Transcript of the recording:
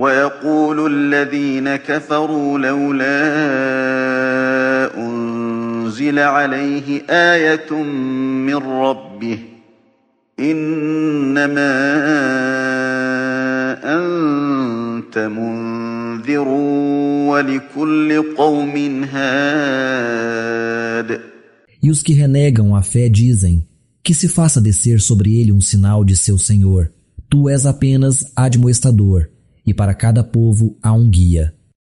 ويقول الذين كفروا لولا أنزل عليه آية من ربه إنما أنت منذر ولكل قوم هاد. E os que renegam a fé dizem que se faça descer sobre ele um sinal de seu Senhor. Tu és apenas admoestador, e para cada povo há um guia.